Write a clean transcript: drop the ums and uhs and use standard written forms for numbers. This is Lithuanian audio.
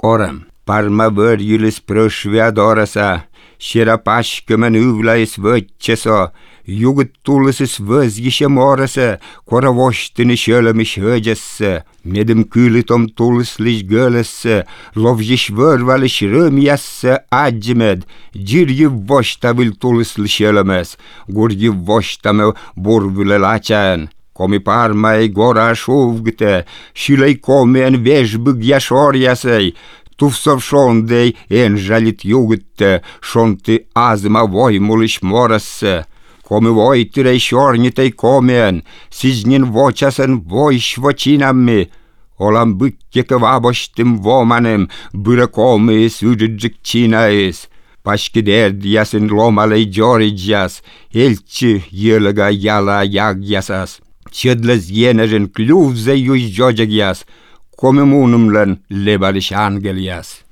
Orem, parma vör julis prösviadorasa, shira pashkemen uvlais vötchesa, jugut tullisis vözgishe morasa, kora vostini shölemish höjesse, medim külitom tullislish gölesse, lovjish vörvalish römjasse adjimed, jirgi vostavil tullislish ölemes, gurgi vostame burvule lachan. Komi parmai gora šuvgte, šilai komien vežbug jašorjasai, tufsov šondei enžalit jugte, šonti azma voimuliš morasse. Komi voitirei šornitei komien, siznin vočasen voišvočinammi, olam bykkeke vabostim vomanem, byrä komi sydidžikčinais. Paškiderdiasin lomalei džoridjas, elči jölga jala jagjasas. Çödles yenerin kluvze yüz jojagyas, komimunumlan lebaliş angelias.